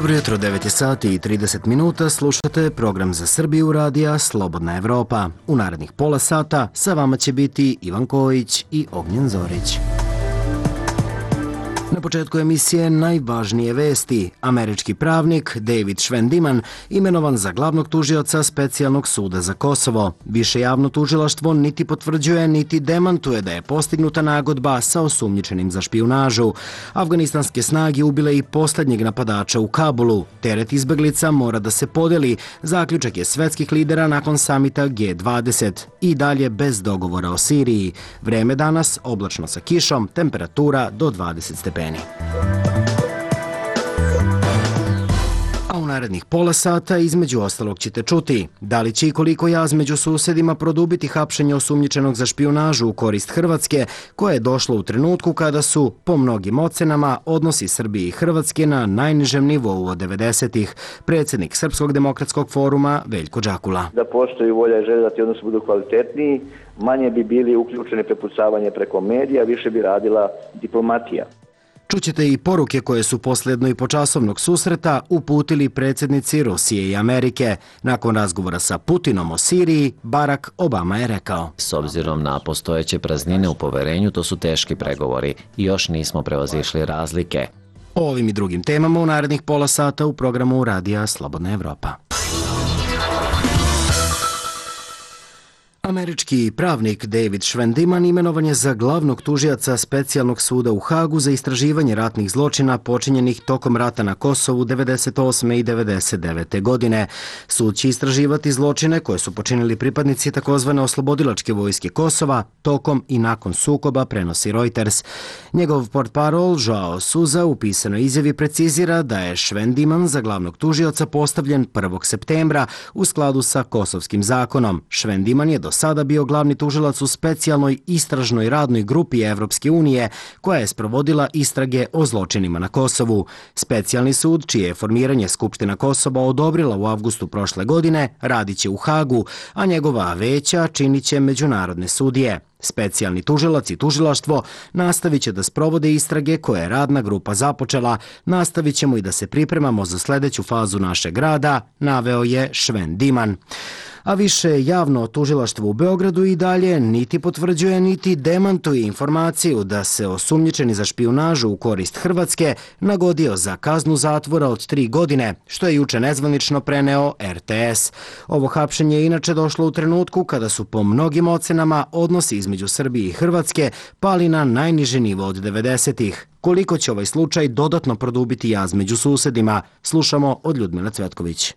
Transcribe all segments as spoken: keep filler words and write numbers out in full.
Dobro jutro, devet je sati i trideset minuta, slušate program za Srbiju radija Slobodna Evropa. U narednih pola sata sa vama će biti Ivan Kojić i Ognjen Zorić. Na početku emisije najvažnije vesti. Američki pravnik David Schwendiman imenovan za glavnog tužioca Specijalnog suda za Kosovo. Više javno tužilaštvo niti potvrđuje niti demantuje da je postignuta nagodba sa osumnjičenim za špijunažu. Afganistanske snage ubile i posljednjeg napadača u Kabulu. Teret izbeglica mora da se podeli. Zaključak je svetskih lidera nakon samita G dvadeset. I dalje bez dogovora o Siriji. Vreme danas oblačno sa kišom, temperatura do dvadeset stepeni. A u narednih pola sata između ostalog ćete čuti da li će i koliko jaz među susedima produbiti hapšenje osumnjičenog za špijunažu u korist Hrvatske, koje je došlo u trenutku kada su, po mnogim ocenama, odnosi Srbije i Hrvatske na najnižem nivou od devedesetih. Predsjednik Srpskog demokratskog foruma Veljko Đakula. Da postoji volja i želja da ti odnosi budu kvalitetniji, manje bi bili uključeni prepucavanje preko medija, više bi radila diplomatija. Čućete i poruke koje su posljedno i počasovnog susreta uputili predsjednici Rusije i Amerike. Nakon razgovora sa Putinom o Siriji, Barack Obama je rekao: S obzirom na postojeće praznine u poverenju, to su teški pregovori i još nismo prevazišli razlike. O ovim i drugim temama u narednih pola sata u programu Radija Slobodna Evropa. Američki pravnik David Schwendiman imenovan je za glavnog tužioca Specijalnog suda u Hagu za istraživanje ratnih zločina počinjenih tokom rata na Kosovu devedeset osme i devedeset devete godine. Sud će istraživati zločine koje su počinili pripadnici takozvane oslobodilačke vojske Kosova tokom i nakon sukoba, prenosi Reuters. Njegov portparol Joao Souza u pisanoj izjavi precizira da je Schwendiman za glavnog tužioca postavljen prvog septembra u skladu sa kosovskim zakonom. Schwendiman je do sada bio glavni tužilac u specijalnoj istražnoj radnoj grupi Evropske unije koja je sprovodila istrage o zločinima na Kosovu. Specijalni sud, čije je formiranje Skupština Kosova odobrila u avgustu prošle godine, radit će u Hagu, a njegova veća činit će međunarodne sudije. Specijalni tužilac i tužilaštvo nastavit će da sprovode istrage koje je radna grupa započela. Nastavit ćemo i da se pripremamo za sljedeću fazu našeg rada, naveo je Schwendiman. A više javno tužilaštvo u Beogradu i dalje niti potvrđuje niti demantuje informaciju da se osumnjičeni za špijunažu u korist Hrvatske nagodio za kaznu zatvora od tri godine, što je juče nezvanično preneo R T S. Ovo hapšenje je inače došlo u trenutku kada su po mnogim ocenama odnosi između Srbije i Hrvatske pali na najniži nivo od devedesetih. Koliko će ovaj slučaj dodatno produbiti jaz među susedima, slušamo od Ljudmile Cvetković.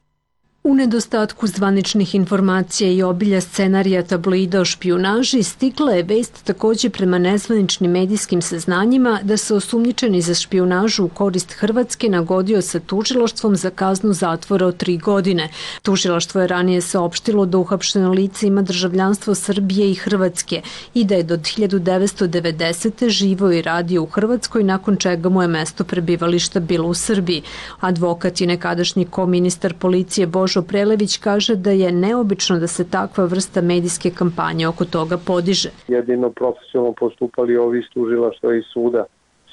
U nedostatku zvaničnih informacija i obilja scenarija tabloida o špijunaži stigla je vest također prema nezvaničnim medijskim saznanjima da se osumnjičeni za špijunažu u korist Hrvatske nagodio sa tužilaštvom za kaznu zatvora od tri godine. Tužilaštvo je ranije saopštilo da uhapšeno lice ima državljanstvo Srbije i Hrvatske i da je do hiljadu devetsto devedesete živio i radio u Hrvatskoj, nakon čega mu je mesto prebivališta bilo u Srbiji. Advokat i nekadašnji koministar policije Božo Prelević kaže da je neobično da se takva vrsta medijske kampanje oko toga podiže. Jedino profesionalno postupali ovi iz tužilaštva i suda.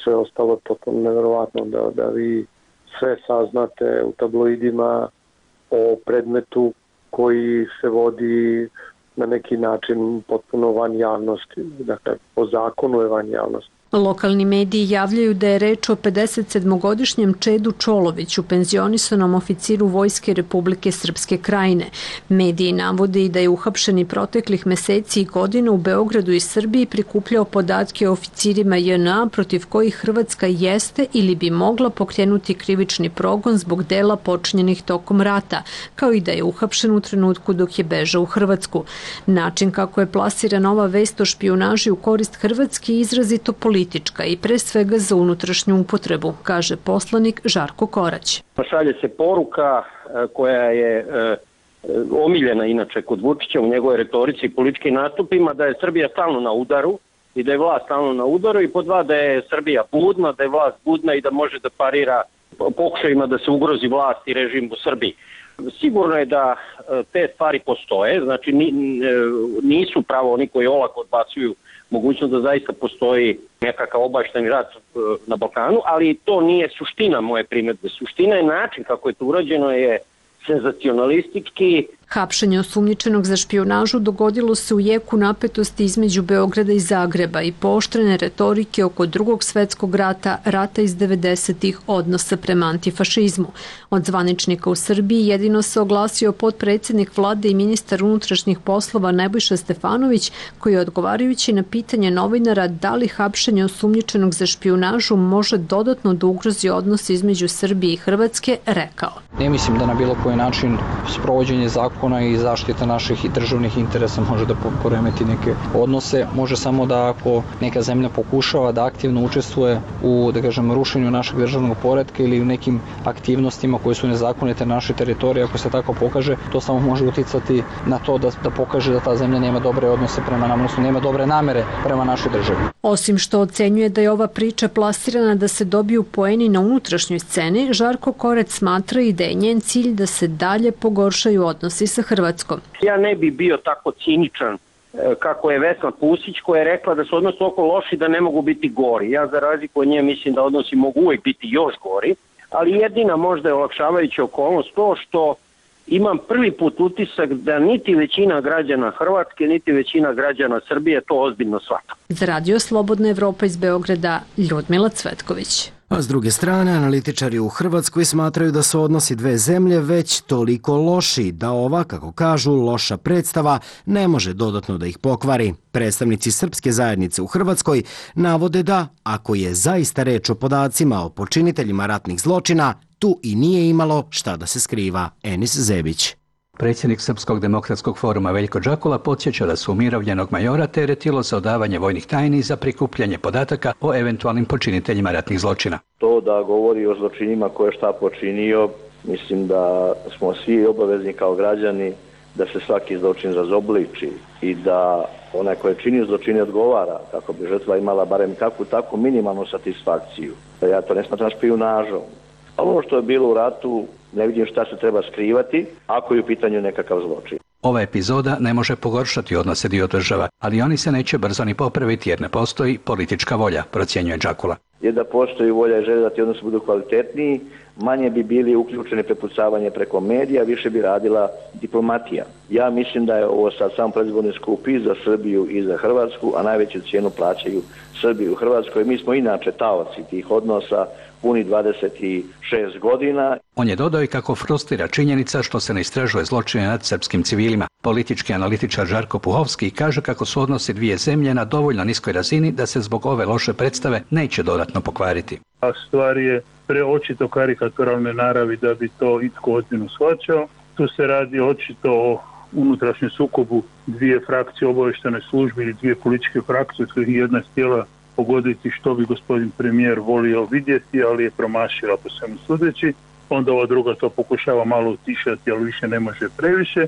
Sve ostalo je potpuno nevjerovatno da, da vi sve saznate u tabloidima o predmetu koji se vodi na neki način potpuno van javnosti. Dakle, po zakonu je van javnosti. Lokalni mediji javljaju da je reč o pedesetsedmogodišnjem Čedu Čoloviću, penzionisanom oficiru Vojske Republike Srpske Krajine. Mediji navode i da je uhapšeni proteklih meseci i godina u Beogradu i Srbiji prikupljao podatke o oficirima J N A protiv kojih Hrvatska jeste ili bi mogla pokrenuti krivični progon zbog dela počinjenih tokom rata, kao i da je uhapšen u trenutku dok je bežao u Hrvatsku. Način kako je plasirana ova vest o špijunaži u korist Hrvatske je izrazito politički politička i pre svega za unutrašnju upotrebu, kaže poslanik Žarko Korać. Šalje se poruka koja je omiljena inače kod Vučića u njegovoj retorici i političkim nastupima, da je Srbija stalno na udaru i da je vlast stalno na udaru, i po dva da je Srbija budna, da je vlast budna i da može da parira pokušajima da se ugrozi vlast i režim u Srbiji. Sigurno je da te stvari postoje, znači nisu pravo oni koji olako odbacuju mogućnost da zaista postoji nekakav obašteni rat na Balkanu, ali to nije suština moje primjedbe. Suština je način kako je to urađeno je senzacionalistički. Hapšenje osumnjičenog za špijunažu dogodilo se u jeku napetosti između Beograda i Zagreba i pooštrene retorike oko drugog svetskog rata, rata iz devedesetih, odnosa prema antifašizmu. Od zvaničnika u Srbiji jedino se oglasio potpredsjednik vlade i ministar unutrašnjih poslova Nebojša Stefanović, koji je odgovarajući na pitanje novinara da li hapšenje osumnjičenog za špijunažu može dodatno da ugrozi odnos između Srbije i Hrvatske, rekao: Ne mislim da na bilo koji način sprovođenje zakona i zaštita naših i državnih interesa može da poremeti neke odnose. Može samo da ako neka zemlja pokušava da aktivno učestvuje u, da kažem, rušenju našeg državnog poretka ili u nekim aktivnostima koje su nezakonite na našoj teritoriji, ako se tako pokaže, to samo može uticati na to da, da pokaže da ta zemlja nema dobre odnose prema nama, odnosno nema dobre namere prema našoj državi. Osim što ocenjuje da je ova priča plasirana da se dobiju poeni na unutrašnjoj sceni, Žarko Korać smatra i da je njen cilj da se dalje pogoršaju odnosi sa Hrvatskom. Ja ne bi bio tako ciničan kako je Vesna Pusić, koja je rekla da su odnosi oko loši, da ne mogu biti gori. Ja za razliku od nje mislim da odnosi mogu uvijek biti još gori, ali jedina možda je olakšavajuća okolnost to što imam prvi put utisak da niti većina građana Hrvatske, niti većina građana Srbije to ozbiljno shvata. Za Radio Slobodna Evropa iz Beograda, Ljudmila Cvetković. A s druge strane, analitičari u Hrvatskoj smatraju da su odnosi dve zemlje već toliko loši da ova, kako kažu, loša predstava ne može dodatno da ih pokvari. Predstavnici srpske zajednice u Hrvatskoj navode da, ako je zaista reč o podacima o počiniteljima ratnih zločina, tu i nije imalo šta da se skriva. Enis Zebić. Predsjednik Srpskog demokratskog foruma Veljko Džakula podsjeća da su umirovljenog majora teretilo za odavanje vojnih tajni za prikupljanje podataka o eventualnim počiniteljima ratnih zločina. To da govori o zločinima koje je šta počinio, mislim da smo svi obavezni kao građani da se svaki zločin razobliči i da onaj koji čini zločine odgovara, kako bi žrtva imala barem kakvu takvu minimalnu satisfakciju. Ja to ne smatram špijunažom. Ono što je bilo u ratu, ne vidim šta se treba skrivati ako je u pitanju nekakav zločin. Ova epizoda ne može pogoršati odnose dio država, ali oni se neće brzo ni popraviti jer ne postoji politička volja, procjenjuje Džakula. Jer da postoji volja i želja da ti odnosi budu kvalitetniji, manje bi bili uključeni prepucavanje preko medija, više bi radila diplomatija. Ja mislim da je ovo sad sam predizborni skup i za Srbiju i za Hrvatsku, a najveću cijenu plaćaju Srbiju u Hrvatskoj. Mi smo inače taoci tih odnosa puni dvadeset šest godina. On je dodao i kako frustrira činjenica što se ne istražuje zločine nad srpskim civilima. Politički analitičar Žarko Puhovski kaže kako su odnosi dvije zemlje na dovoljno niskoj razini da se zbog ove loše predstave neće dodatno pokvariti. A stvar je preočito karikaturalne naravi da bi to itko ozbiljno shvaćao. Tu se radi očito o unutrašnjem sukobu dvije frakcije obavještajne službe ili dvije političke frakcije, od kojih jedna htjela pogoditi što bi gospodin premijer volio vidjeti, ali je promašila po svemu sudeći. Onda ova druga to pokušava malo utišati, ali više ne može previše.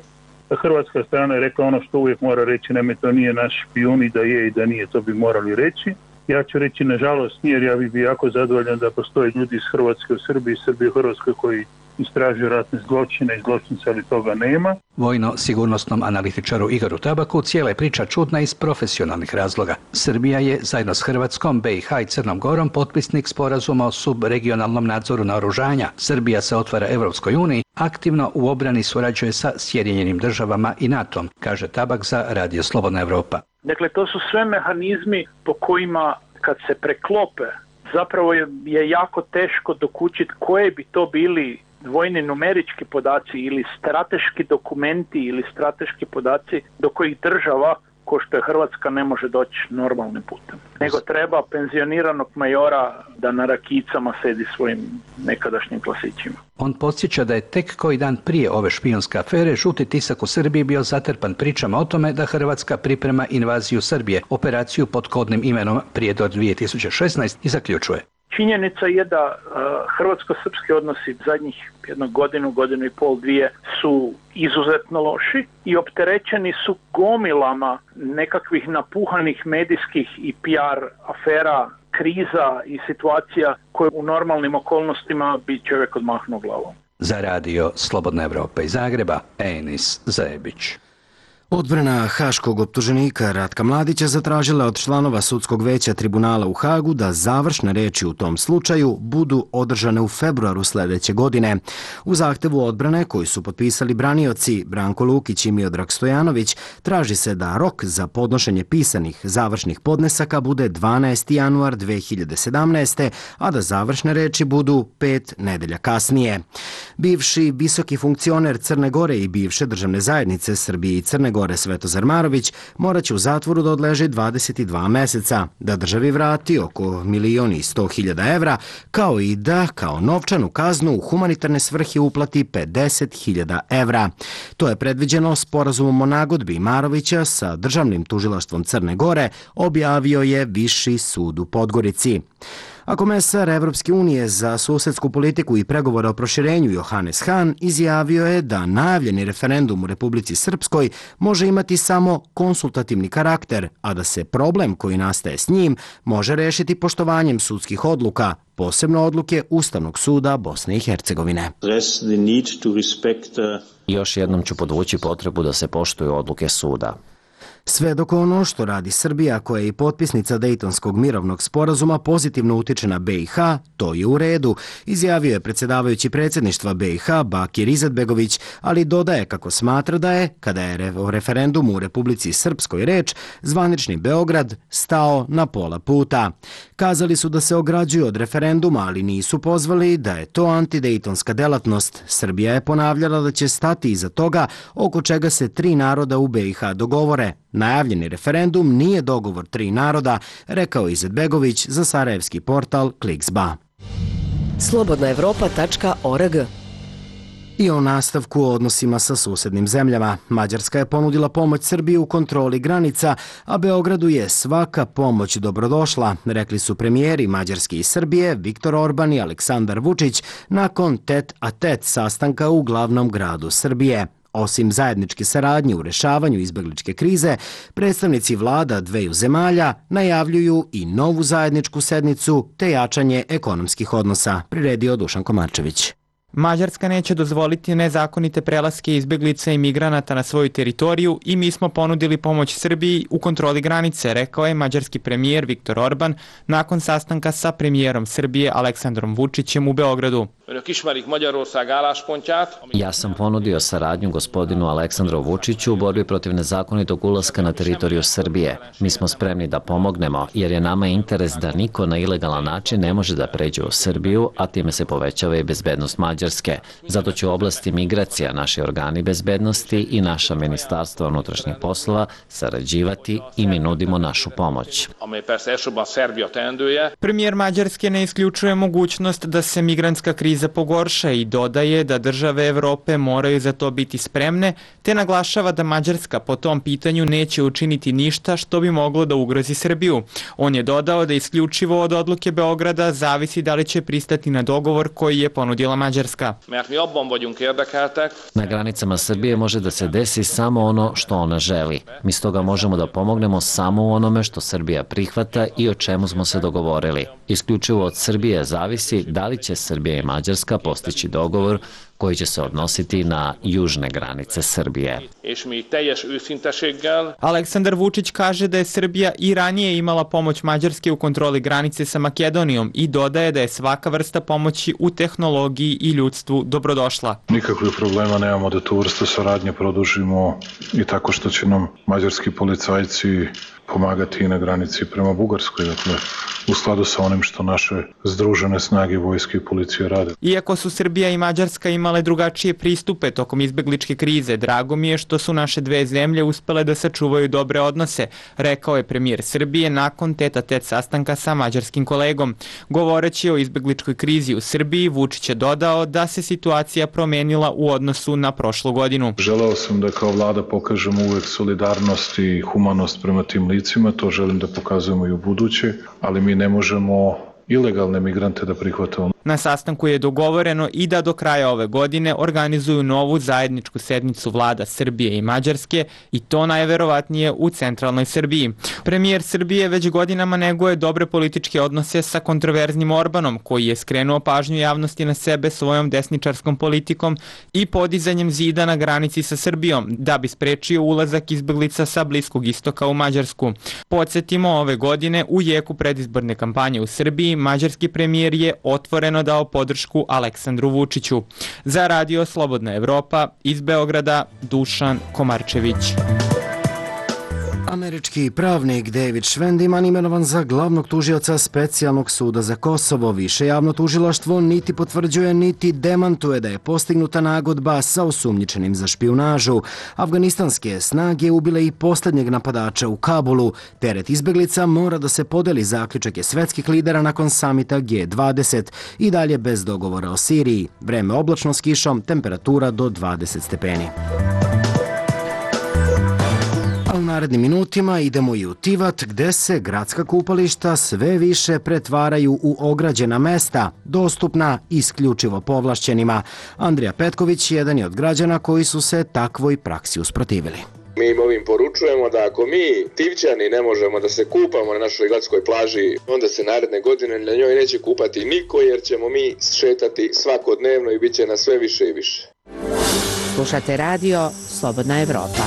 Hrvatska strana je rekla ono što uvijek mora reći, nema, to nije naš špijun, i da je i da nije, to bi morali reći. Ja ću reći nažalost nije, jer ja bih bio jako zadovoljan da postoje ljudi iz Hrvatske u Srbiji, Srbije u Hrvatskoj koji istražuju ratne zločine i zločince, ali toga nema. Vojno-sigurnosnom analitičaru Igoru Tabaku cijela je priča čudna iz profesionalnih razloga. Srbija je zajedno s Hrvatskom, B i H i Crnom Gorom potpisnik sporazuma o subregionalnom nadzoru naoružanja. Srbija se otvara Evropskoj uniji, aktivno u obrani surađuje sa Sjedinjenim državama i NATO-om, kaže Tabak za Radio Slobodna Evropa. Dakle, to su sve mehanizmi po kojima kad se preklope, zapravo je, je jako teško dokučiti koje bi to bili vojni numerički podaci ili strateški dokumenti ili strateški podaci do kojih država, ko što je Hrvatska, ne može doći normalnim putem. Nego treba penzioniranog majora da na rakicama sedi svojim nekadašnjim klasićima. On podsjeća da je tek koji dan prije ove špijunske afere žuti tisak u Srbiji bio zatrpan pričama o tome da Hrvatska priprema invaziju Srbije, operaciju pod kodnim imenom Prijedor dvije tisuće šesnaeste, i zaključuje. Činjenica je da uh, hrvatsko-srpski odnosi zadnjih jednu godinu, godinu i pol, dvije su izuzetno loši i opterećeni su gomilama nekakvih napuhanih medijskih i P R afera, kriza i situacija koje u normalnim okolnostima bi čovjek odmahnuo glavom. Za Radio Slobodna Evropa iz Zagreba, Enis Zebić. Odbrana haškog optuženika Ratka Mladića zatražila od članova sudskog veća tribunala u Hagu da završne reči u tom slučaju budu održane u februaru sljedeće godine. U zahtevu odbrane koji su potpisali branioci Branko Lukić i Miodrag Stojanović traži se da rok za podnošenje pisanih završnih podnesaka bude dvanaesti januar dve hiljade sedamnaeste. a da završne reči budu pet nedelja kasnije. Bivši visoki funkcioner Crne Gore i bivše državne zajednice Srbije i Crne Gore Svetozar Marović morat će u zatvoru da odleži dvadeset dva meseca, da državi vrati oko milion i sto hiljada evra, kao i da kao novčanu kaznu u humanitarne svrhe uplati pedeset hiljada evra. To je predviđeno sporazumom o nagodbi Marovića sa državnim tužilaštvom Crne Gore, objavio je Viši sud u Podgorici. A komesar Evropske unije za susedsku politiku i pregovore o proširenju Johannes Hahn izjavio je da najavljeni referendum u Republici Srpskoj može imati samo konsultativni karakter, a da se problem koji nastaje s njim može rešiti poštovanjem sudskih odluka, posebno odluke Ustavnog suda Bosne i Hercegovine. Još jednom ću podvući potrebu da se poštuju odluke suda. Sve dok ono što radi Srbija, koja je i potpisnica Dejtonskog mirovnog sporazuma, pozitivno utiče na B i H, to je u redu, izjavio je predsjedavajući predsjedništva B i H Bakir Izetbegović, ali dodaje kako smatra da je, kada je o referendumu u Republici Srpskoj reč, zvanični Beograd stao na pola puta. Kazali su da se ograđuju od referenduma, ali nisu pozvali da je to antidejtonska delatnost. Srbija je ponavljala da će stati iza toga, oko čega se tri naroda u B i H dogovore. Najavljeni referendum nije dogovor tri naroda, rekao Izetbegović za sarajevski portal Kliksba. slobodna evropa tačka org. I o nastavku o odnosima sa susednim zemljama. Mađarska je ponudila pomoć Srbiji u kontroli granica, a Beogradu je svaka pomoć dobrodošla, rekli su premijeri Mađarske i Srbije Viktor Orban i Aleksandar Vučić nakon tet a tet sastanka u glavnom gradu Srbije. Osim zajedničke saradnje u rešavanju izbegličke krize, predstavnici vlada dveju zemalja najavljuju i novu zajedničku sednicu te jačanje ekonomskih odnosa, priredio Dušan Komarčević. Mađarska neće dozvoliti nezakonite prelaske izbeglica i migranata na svoju teritoriju i mi smo ponudili pomoć Srbiji u kontroli granice, rekao je mađarski premijer Viktor Orban nakon sastanka sa premijerom Srbije Aleksandrom Vučićem u Beogradu. Ja sam ponudio saradnju gospodinu Aleksandru Vučiću u borbi protiv nezakonitog ulaska na teritoriju Srbije. Mi smo spremni da pomognemo jer je nama interes da niko na ilegalan način ne može da pređe u Srbiju, a time se povećava i bezbednost Mađarske. Zato će u oblasti migracija naši organi bezbednosti i naša ministarstva unutrašnjih poslova sarađivati i mi nudimo našu pomoć. Premijer Mađarske ne isključuje mogućnost da se migrantska kriza pogorša i dodaje da države Evrope moraju za to biti spremne, te naglašava da Mađarska po tom pitanju neće učiniti ništa što bi moglo da ugrozi Srbiju. On je dodao da isključivo od odluke Beograda zavisi da li će pristati na dogovor koji je ponudila Mađarska. Na granicama Srbije može da se desi samo ono što ona želi. Mi stoga možemo da pomognemo samo u onome što Srbija prihvata i o čemu smo se dogovorili. Isključivo od Srbije zavisi da li će Srbija i Mađarska postići dogovor koji će se odnositi na južne granice Srbije. Aleksandar Vučić kaže da je Srbija i ranije imala pomoć Mađarske u kontroli granice sa Makedonijom i dodaje da je svaka vrsta pomoći u tehnologiji i ljudstvu dobrodošla. Nikakvih problema nemamo da tu vrstu saradnje produžimo i tako što će nam mađarski policajci pomagati i na granici prema Bugarskoj, dakle, u skladu sa onim što naše združene snage vojske i policije rade. Iako su Srbija i Mađarska imale drugačije pristupe tokom izbegličke krize, drago mi je što su naše dve zemlje uspele da sačuvaju dobre odnose, rekao je premijer Srbije nakon tet-a-tet sastanka sa mađarskim kolegom. Govoreći o izbegličkoj krizi u Srbiji, Vučić je dodao da se situacija promenila u odnosu na prošlu godinu. Želeo sam da kao vlada pokažemo uvek solidarnost i humanost prema tim licima, to želim da pokazujemo i u buduće, ali mi ne možemo ilegalne migrante da prihvatamo. Na sastanku je dogovoreno i da do kraja ove godine organizuju novu zajedničku sednicu vlada Srbije i Mađarske i to najverovatnije u centralnoj Srbiji. Premijer Srbije već godinama neguje dobre političke odnose sa kontroverznim Orbanom, koji je skrenuo pažnju javnosti na sebe svojom desničarskom politikom i podizanjem zida na granici sa Srbijom, da bi sprečio ulazak izbeglica sa Bliskog istoka u Mađarsku. Podsjetimo, ove godine u jeku predizborne kampanje u Srbiji, mađarski premijer je otvoreno dao podršku Aleksandru Vučiću. Za Radio Slobodna Evropa, iz Beograda, Dušan Komarčević. Američki pravnik David Schwendiman imenovan za glavnog tužioca Specijalnog suda za Kosovo. Više javno tužilaštvo niti potvrđuje niti demantuje da je postignuta nagodba sa osumnjičenim za špijunažu. Afganistanske snage ubile i posljednjeg napadača u Kabulu. Teret izbeglica mora da se podeli, zaključak je svetskih lidera nakon samita G dvadeset. I dalje bez dogovora o Siriji. Vreme oblačno s kišom, temperatura do dvadeset stepeni. A u narednim minutima idemo i u Tivat, gde se gradska kupališta sve više pretvaraju u ograđena mesta, dostupna isključivo povlašćenima. Andrija Petković jedan je od građana koji su se takvoj praksi usprotivili. Mi im ovim poručujemo da ako mi, Tivćani, ne možemo da se kupamo na našoj gradskoj plaži, onda se naredne godine na njoj neće kupati niko, jer ćemo mi šetati svakodnevno i bit će nas sve više i više. Slušate radio Slobodna Evropa.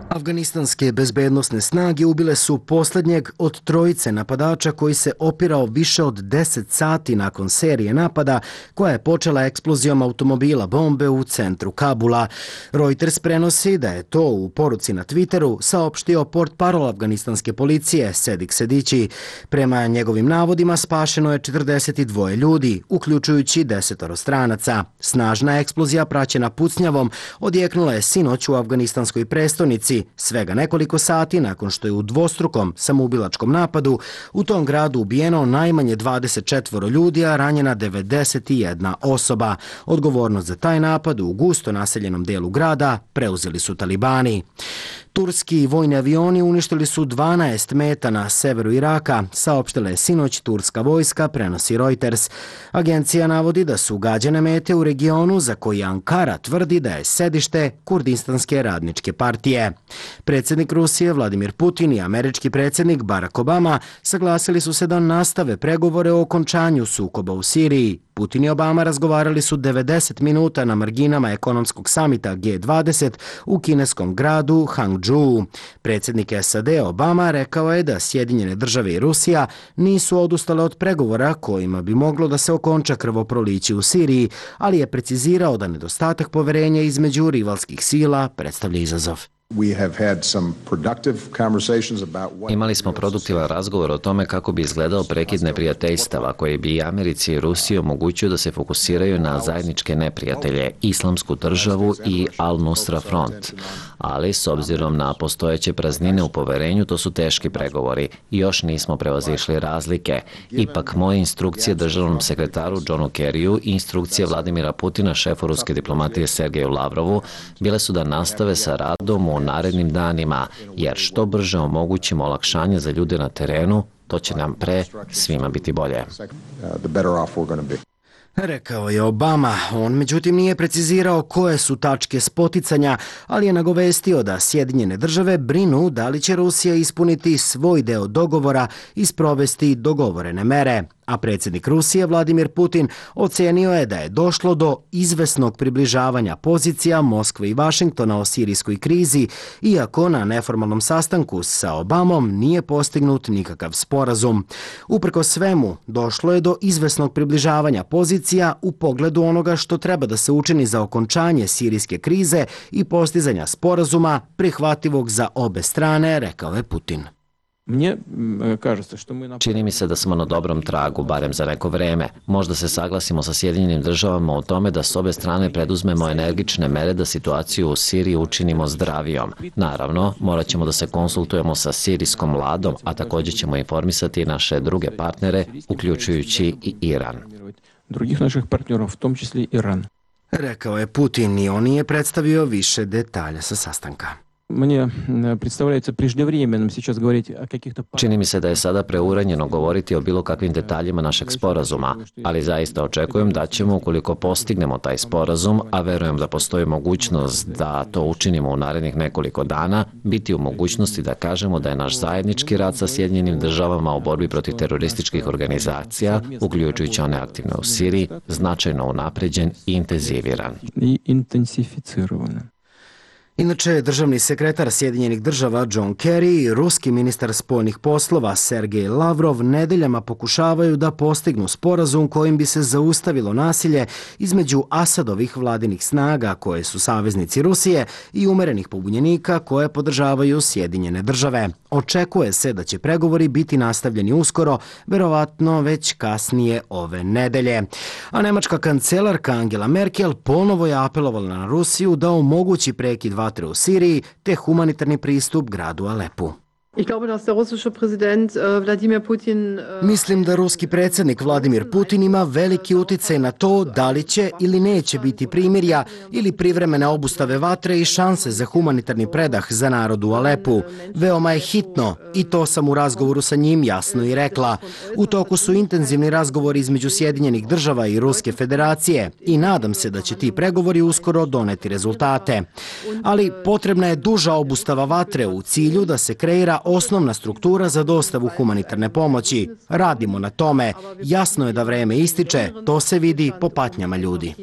Afganistanske bezbednosne snage ubile su posljednjeg od trojice napadača koji se opirao više od deset sati nakon serije napada koja je počela eksplozijom automobila bombe u centru Kabula. Reuters prenosi da je to u poruci na Twitteru saopštio portparol afganistanske policije Sedik Sedići. Prema njegovim navodima spašeno je četrdeset dva ljudi, uključujući desetoro stranaca. Snažna eksplozija praćena pucnjavom odjeknula je sinoć u afganistanskoj prestonici, svega nekoliko sati nakon što je u dvostrukom samoubilačkom napadu u tom gradu ubijeno najmanje dvadeset četvoro ljudi, a ranjena devedeset jedna osoba. Odgovornost za taj napad u gusto naseljenom delu grada preuzeli su talibani. Turski vojni avioni uništili su dvanaest meta na severu Iraka, saopštila je sinoć turska vojska, prenosi Reuters. Agencija navodi da su gađane mete u regionu za koji Ankara tvrdi da je sedište Kurdistanske radničke partije. Predsjednik Rusije Vladimir Putin i američki predsjednik Barack Obama saglasili su se da nastave pregovore o okončanju sukoba u Siriji. Putin i Obama razgovarali su devedeset minuta na marginama ekonomskog samita G dvadeset u kineskom gradu Hangzhou. Predsjednik S A D Obama rekao je da Sjedinjene države i Rusija nisu odustale od pregovora kojima bi moglo da se okonča krvoproliće u Siriji, ali je precizirao da nedostatak poverenja između rivalskih sila predstavlja izazov. Imali smo produktivan razgovor o tome kako bi izgledao prekid neprijateljstava koji bi Americi i Rusiji omogućio da se fokusiraju na zajedničke neprijatelje, Islamsku državu i Al-Nusra front. Ali, s obzirom na postojeće praznine u poverenju, to su teški pregovori i još nismo prevazišli razlike. Ipak, moje instrukcije državnom sekretaru Johnu Kerryu i instrukcije Vladimira Putina, šefu ruske diplomatije Sergeju Lavrovu, bile su da nastave sa radom u narednim danima, jer što brže omogućimo olakšanje za ljude na terenu, to će nam pre svima biti bolje. Rekao je Obama. On međutim nije precizirao koje su tačke spoticanja, ali je nagovestio da Sjedinjene države brinu da li će Rusija ispuniti svoj deo dogovora i sprovesti dogovorene mere. A predsjednik Rusije Vladimir Putin ocenio je da je došlo do izvesnog približavanja pozicija Moskve i Vašingtona o sirijskoj krizi, iako na neformalnom sastanku sa Obamom nije postignut nikakav sporazum. Uprko svemu, došlo je do izvesnog približavanja pozicija u pogledu onoga što treba da se učini za okončanje sirijske krize i postizanja sporazuma prihvatljivog za obe strane, rekao je Putin. Čini mi se da smo na dobrom tragu, barem za neko vreme. Možda se saglasimo sa Sjedinjenim državama o tome da s obe strane preduzmemo energične mere da situaciju u Siriji učinimo zdravijom. Naravno, morat ćemo da se konsultujemo sa sirijskom vladom, a također ćemo informisati naše druge partnere, uključujući i Iran. Drugih naših partnera, v tom čisli Iran. Rekao je Putin i on je predstavio više detalja sa sastanka. Мне представляется преждевременным сейчас говорить о каких-то... Čini mi se da je sada preuranjeno govoriti o bilo kakvim detaljima našeg sporazuma, ali zaista očekujem da ćemo, ukoliko postignemo taj sporazum, a verujem da postoji mogućnost da to učinimo u narednih nekoliko dana, biti u mogućnosti da kažemo da je naš zajednički rad sa Sjedinjenim državama u borbi protiv terorističkih organizacija, uključujući one aktivne u Siriji, značajno unapređen i intenziviran. I intensificiran. Inače, državni sekretar Sjedinjenih država John Kerry i ruski ministar spoljnih poslova Sergej Lavrov nedeljama pokušavaju da postignu sporazum kojim bi se zaustavilo nasilje između Asadovih vladinih snaga koje su saveznici Rusije i umerenih pobunjenika koje podržavaju Sjedinjene države. Očekuje se da će pregovori biti nastavljeni uskoro, verovatno već kasnije ove nedelje. A nemačka kancelarka Angela Merkel ponovo je apelovala na Rusiju da omogući prekid vatre u Siriji te humanitarni pristup gradu Alepu. Mislim da ruski predsjednik Vladimir Putin ima veliki uticaj na to da li će ili neće biti primirja ili privremene obustave vatre i šanse za humanitarni predah za narod u Alepu. Veoma je hitno i to sam u razgovoru sa njim jasno i rekla. U toku su intenzivni razgovori između Sjedinjenih država i Ruske federacije i nadam se da će ti pregovori uskoro doneti rezultate. Ali potrebna je duža obustava vatre u cilju da se kreira osnovna struktura za dostavu humanitarne pomoći. Radimo na tome. Jasno je da vreme ističe, to se vidi po patnjama ljudi.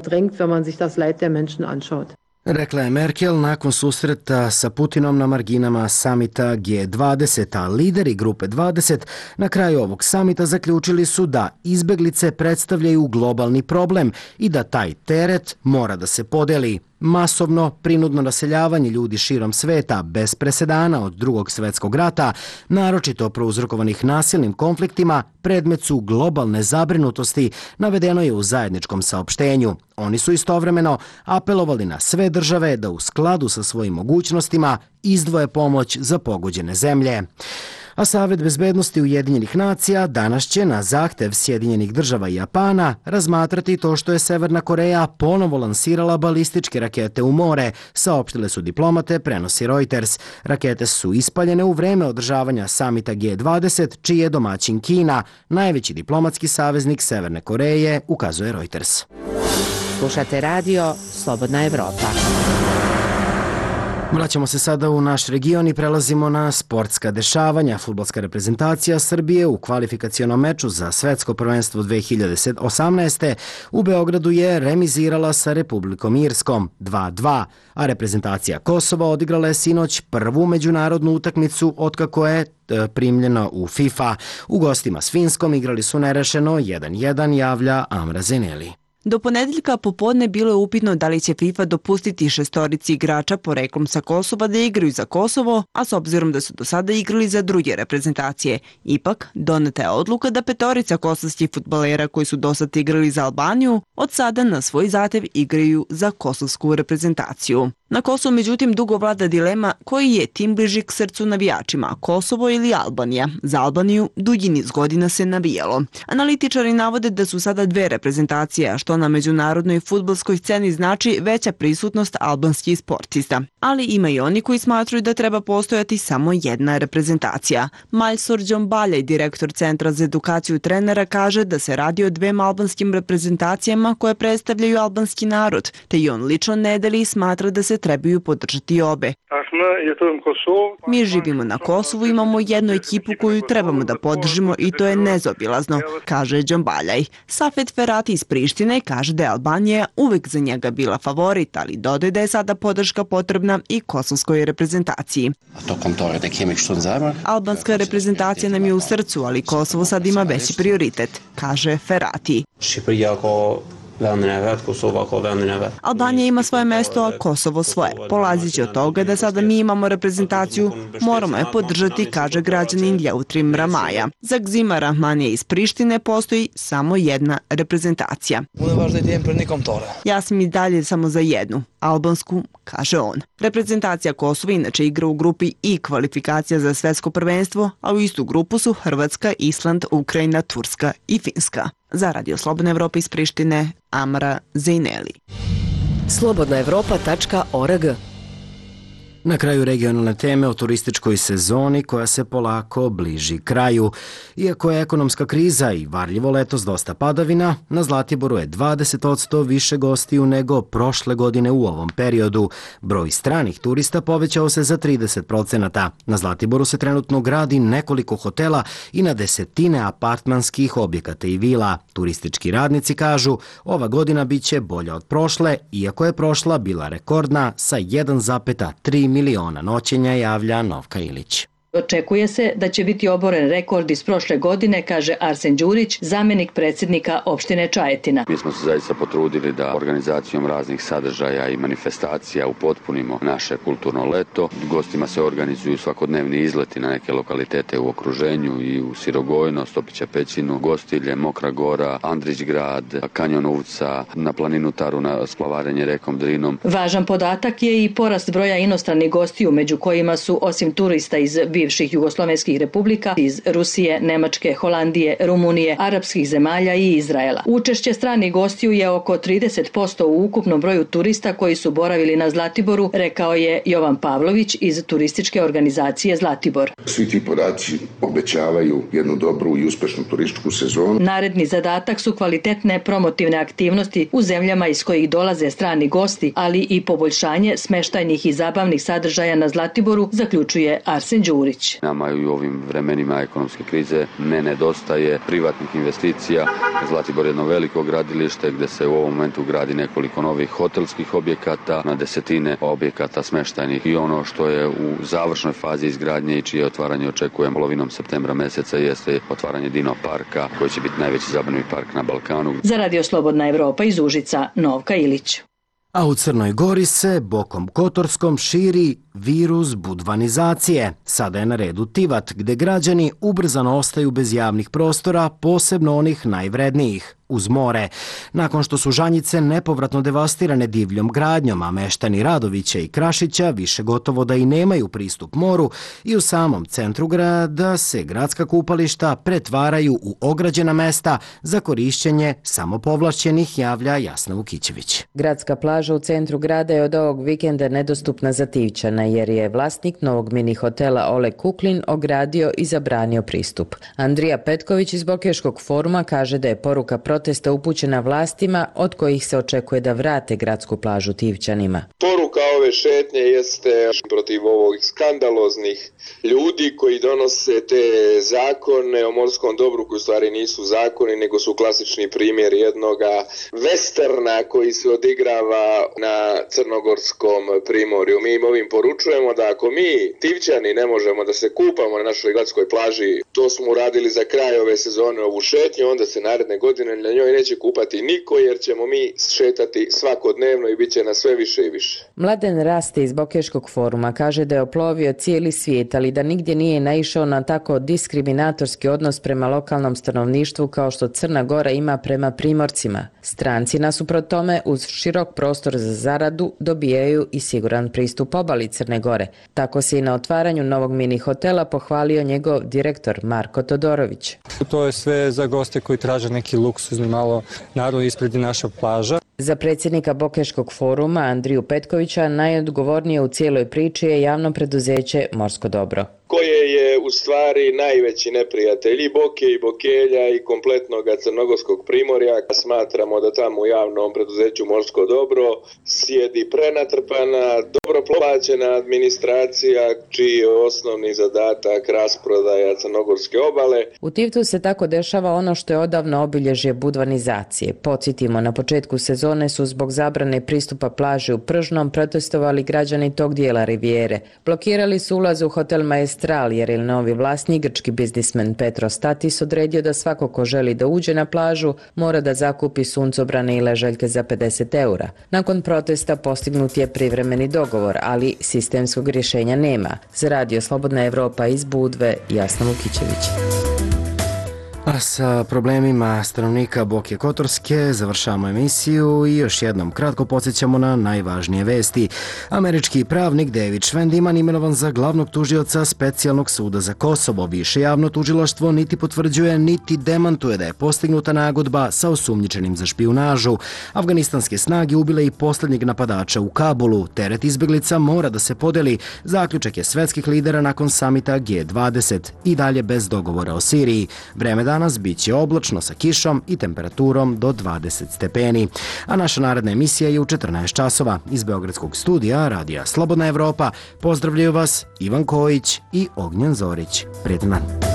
Rekla je Merkel nakon susreta sa Putinom na marginama samita G dvadeset, a lideri grupe dvadeset na kraju ovog samita zaključili su da izbeglice predstavljaju globalni problem i da taj teret mora da se podeli. Masovno, prinudno naseljavanje ljudi širom sveta bez presedana od drugog svjetskog rata, naročito prouzrokovanih nasilnim konfliktima, predmet su globalne zabrinutosti, navedeno je u zajedničkom saopštenju. Oni su istovremeno apelovali na sve države da u skladu sa svojim mogućnostima izdvoje pomoć za pogođene zemlje. A Savet bezbednosti Ujedinjenih nacija danas će na zahtev Sjedinjenih država i Japana razmatrati to što je Severna Koreja ponovo lansirala balističke rakete u more, saopštile su diplomate, prenosi Reuters. Rakete su ispaljene u vreme održavanja samita G dvadeset, čiji je domaćin Kina, najveći diplomatski saveznik Severne Koreje, ukazuje Reuters. Slušate radio Slobodna Evropa. Vraćamo se sada u naš region i prelazimo na sportska dešavanja. Fudbalska reprezentacija Srbije u kvalifikacionom meču za svetsko prvenstvo dve hiljade osamnaeste. u Beogradu je remizirala sa Republikom Irskom dva dva, a reprezentacija Kosova odigrala je sinoć prvu međunarodnu utakmicu otkako je primljena u FIFA. U gostima s Finskom igrali su nerešeno jedan jedan, javlja Amra Zeneli. Do ponedeljka popodne bilo je upitno da li će FIFA dopustiti šestorici igrača poreklom sa Kosova da igraju za Kosovo, a s obzirom da su do sada igrali za druge reprezentacije. Ipak, doneta je odluka da petorica kosovskih fudbalera koji su do sada igrali za Albaniju, od sada na svoj zahtev igraju za kosovsku reprezentaciju. Na Kosovu, međutim, dugo vlada dilema koji je tim bliži k srcu navijačima, Kosovo ili Albanija. Za Albaniju dugi niz godina se navijalo. Analitičari navode da su sada dve reprezentacije, a što na međunarodnoj fudbalskoj sceni znači veća prisutnost albanskih sportista. Ali ima i oni koji smatruju da treba postojati samo jedna reprezentacija. Maljsor Džombaljaj, direktor Centra za edukaciju trenera, kaže da se radi o dvema albanskim reprezentacijama koje predstavljaju albanski narod, te i on lično ne deli i smatra da se trebaju podržati obe. Mi živimo na Kosovu, imamo jednu ekipu koju trebamo da podržimo i to je nezaobilazno, kaže Džombaljaj. Safet Ferati iz Prištine kaže da je Albanija uvek za njega bila favorit, ali dodaje da je sada podrška potrebna i kosovskoj reprezentaciji. Albanska reprezentacija nam je u srcu, ali Kosovo sad ima veći prioritet, kaže Ferati. Albanija ima svoje mesto, a Kosovo svoje. Polazići od toga da sada mi imamo reprezentaciju, moramo je podržati, kaže građanin Ljautrim Ramaja. Za Gzima Rahmanija iz Prištine postoji samo jedna reprezentacija. Ja sam i dalje samo za jednu, albansku, kaže on. Reprezentacija Kosova inače igra u grupi I kvalifikacija za svetsko prvenstvo, a u istu grupu su Hrvatska, Island, Ukrajina, Turska i Finska. Za Radio Slobodna Evropa iz Prištine, Amra Zejneli. slobodna evropa tačka org. Na kraju regionalne teme o turističkoj sezoni koja se polako bliži kraju. Iako je ekonomska kriza i varljivo letos dosta padavina, na Zlatiboru je dvadeset posto više gostiju nego prošle godine u ovom periodu. Broj stranih turista povećao se za trideset procenata. Na Zlatiboru se trenutno gradi nekoliko hotela i na desetine apartmanskih objekata i vila. Turistički radnici kažu, ova godina biće bolja od prošle, iako je prošla bila rekordna sa jedan zarez tri miliona noćenja, javlja Novka Ilić. Očekuje se da će biti oboren rekord iz prošle godine, kaže Arsen Đurić, zamjenik predsjednika opštine Čajetina. Mi smo se zaista potrudili da organizacijom raznih sadržaja i manifestacija upotpunimo naše kulturno leto. Gostima se organizuju svakodnevni izleti na neke lokalitete u okruženju i u Sirogojno, Stopića Pećinu, Gostilje, Mokra Gora, Andrić grad, Kanjon Uvca, na planinu Taru na splavarenje rekom Drinom. Važan podatak je i porast broja inostranih gostiju, među kojima su osim turista iz bivših jugoslovenskih republika, iz Rusije, Nemačke, Holandije, Rumunije, arapskih zemalja i Izraela. Učešće stranih gostiju je oko trideset posto u ukupnom broju turista koji su boravili na Zlatiboru, rekao je Jovan Pavlović iz turističke organizacije Zlatibor. Svi ti podaci obećavaju jednu dobru i uspešnu turističku sezonu. Naredni zadatak su kvalitetne promotivne aktivnosti u zemljama iz kojih dolaze strani gosti, ali i poboljšanje smeštajnih i zabavnih sadržaja na Zlatiboru, zaključuje Arsen Đurić. Nama i u ovim vremenima ekonomske krize ne nedostaje privatnih investicija. Zlatibor je jedno veliko gradilište gdje se u ovom momentu gradi nekoliko novih hotelskih objekata, na desetine objekata smeštajnih i ono što je u završnoj fazi izgradnje i čije otvaranje očekujem polovinom septembra meseca jeste otvaranje Dino parka koji će biti najveći zabavni park na Balkanu. Za Radio Slobodna Evropa iz Užica, Novka Ilić. A u Crnoj Gori se Bokom Kotorskom širi virus budvanizacije. Sada je na redu Tivat, gde građani ubrzano ostaju bez javnih prostora, posebno onih najvrednijih, uz more. Nakon što su Žanjice nepovratno devastirane divljom gradnjom, a meštani Radovića i Krašića više gotovo da i nemaju pristup moru, i u samom centru grada se gradska kupališta pretvaraju u ograđena mesta za korišćenje samopovlašćenih, javlja Jasna Vukićević. Gradska plaža u centru grada je od ovog vikenda nedostupna za Tivčana, jer je vlasnik novog mini hotela Ole Kuklin ogradio i zabranio pristup. Andrija Petković iz Bokeškog foruma kaže da je poruka protesta upućena vlastima od kojih se očekuje da vrate gradsku plažu Tivčanima. Poruka ove šetnje jeste protiv ovog skandaloznih ljudi koji donose te zakone o morskom dobru koji u stvari nisu zakoni nego su klasični primjer jednoga westerna koji se odigrava na crnogorskom primorju. Mi im ovim poručujemo da ako mi Tivčani ne možemo da se kupamo na našoj gradskoj plaži, to smo uradili za kraj ove sezone ovu šetnju, onda se naredne godine na njoj neće kupati niko jer ćemo mi šetati svakodnevno i bit će na sve više i više. Mladen Raste iz Bokeškog foruma kaže da je oplovio cijeli svijet, ali da nigdje nije naišao na tako diskriminatorski odnos prema lokalnom stanovništvu kao što Crna Gora ima prema primorcima. Stranci nasuprot tome uz širok prostor za zaradu dobijaju i siguran pristup obali Crne Gore. Tako se i na otvaranju novog mini hotela pohvalio njegov direktor Marko Todorović. To je sve za goste koji traže neki luksuzni malo, naravno ispred naša plaža. Za predsjednika Bokeškog foruma Andriju Petkovića najodgovornije u cijeloj priči je javno preduzeće Morsko dobro, koje je u stvari najveći neprijatelj i Boke i Bokelja i kompletnog crnogorskog primorja. Smatramo da tamo u javnom preduzeću Morsko dobro sjedi prenatrpana, dobro plaćena administracija čiji je osnovni zadatak rasprodaja crnogorske obale. U Tivtu se tako dešava ono što je odavno obilježje budvanizacije. Podsjetimo, na početku sezone su zbog zabrane pristupa plaži u Pržnom protestovali građani tog dijela rivijere. Blokirali su ulaz u hotel Maestral jer je novi vlasnik, grčki biznismen Petros Statis, odredio da svako ko želi da uđe na plažu mora da zakupi suncobrane i ležaljke za pedeset eura. Nakon protesta postignut je privremeni dogovor, ali sistemskog rješenja nema. Za Radio Slobodna Evropa iz Budve, Jasna Vukićević. A A sa problemima stanovnika Boke Kotorske završavamo emisiju i još jednom kratko podsjećamo na najvažnije vesti. Američki pravnik David Schwendiman imenovan za glavnog tužioca Specijalnog suda za Kosovo. Više javno tužilaštvo niti potvrđuje niti demantuje da je postignuta nagodba sa osumnjičenim za špijunažu. Afganistanske snage ubile i posljednjeg napadača u Kabulu. Teret izbjeglica mora da se podeli. Zaključak je svetskih lidera nakon samita G dvadeset. I dalje bez dogovora o Siriji. Vreme danas bit će oblačno sa kišom i temperaturom do dvadeset stepeni. A naša naredna emisija je u četrnaest časova. Iz Beogradskog studija Radija Slobodna Evropa pozdravljaju vas Ivan Kojić i Ognjen Zorić. Prijetan dan.